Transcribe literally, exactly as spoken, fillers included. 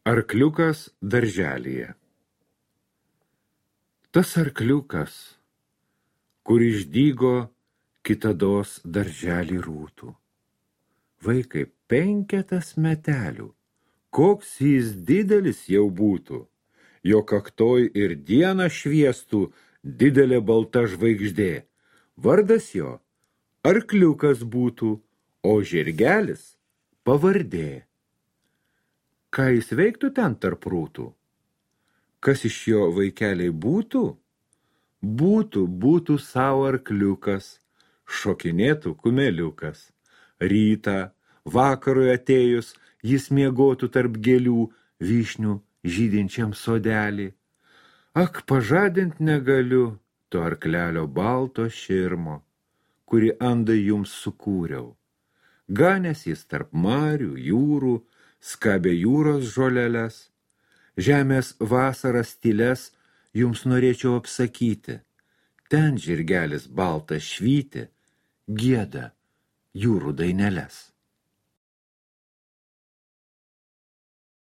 Arkliukas darželyje. Tas arkliukas, kur išdygo kitados darželį rūtų. Vaikai, penketas metelių, koks jis didelis jau būtų, jo kaktoj ir dieną šviestų didelė balta žvaigždė. Vardas jo arkliukas būtų, o žirgelis pavardė. Ką jis veiktų ten tarp rūtų? Kas iš jo vaikeliai būtų? Būtų, būtų savo arkliukas, šokinėtų kumeliukas. Rytą, vakarui atėjus, jis miegotų tarp gėlių vyšnių žydinčiam sodelį. Ak, pažadint negaliu to arklelio balto širmo, kurį andai jums sukūriau. Ganęs jis tarp marių, jūrų, skabė jūros žoleles. Žemės vasaras tyles jums norėčiau apsakyti. Ten žirgelis baltas švyti, gieda jūrų daineles.